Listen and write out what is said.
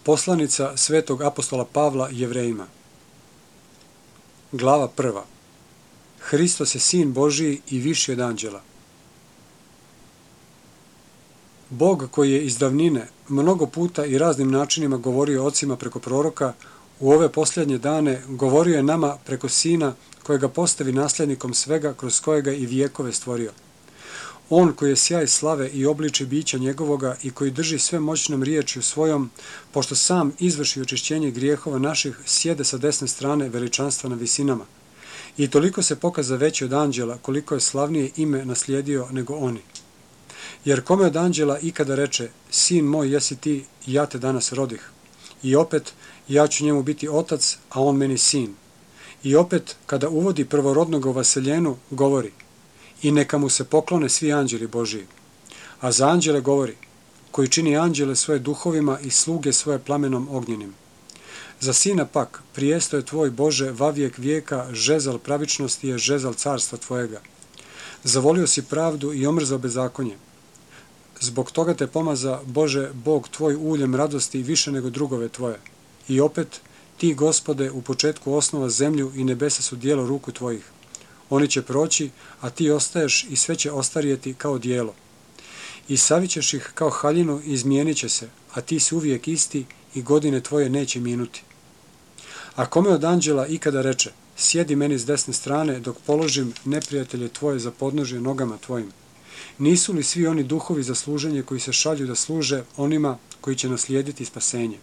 Poslanica svetog apostola Pavla Jevrejima. Glava 1. Hristos je Sin Božiji i viši od anđela. Bog koji je iz davnine mnogo puta i raznim načinima govorio ocima preko proroka, u ove posljednje dane govorio je nama preko Sina kojega postavi nasljednikom svega kroz kojega i vijekove stvorio. On koji je sjaj slave i obliči bića njegovoga i koji drži sve moćnom riječju svojom, pošto sam izvrši očišćenje grijehova naših, sjede sa desne strane veličanstva na visinama. I toliko se pokaza veći od anđela, koliko je slavnije ime naslijedio nego oni. Jer kome od anđela ikada reče, sin moj jesi ti, ja te danas rodih. I opet, ja ću njemu biti otac, a on meni sin. I opet, kada uvodi prvorodnoga u vaseljenu, govori, i neka mu se poklone svi anđeli Božiji. A za anđele govori, koji čini anđele svoje duhovima i sluge svoje plamenom ognjenim. Za sina pak, prijesto je tvoj Bože vavijek vijeka, žezal pravičnosti je žezal carstva tvojega. Zavolio si pravdu i omrzao bezakonje. Zbog toga te pomaza, Bože, Bog tvoj uljem radosti više nego drugove tvoje. I opet, ti, Gospode, u početku osnova zemlju i nebesa su dijelo ruku tvojih. Oni će proći, a ti ostaješ i sve će ostarijeti kao dijelo. I savićeš ih kao haljinu i izmijenit će se, a ti si uvijek isti i godine tvoje neće minuti. A kome od anđela ikada reče, sjedi meni s desne strane dok položim neprijatelje tvoje za podnožje nogama tvojim. Nisu li svi oni duhovi za služenje koji se šalju da služe onima koji će naslijediti spasenje?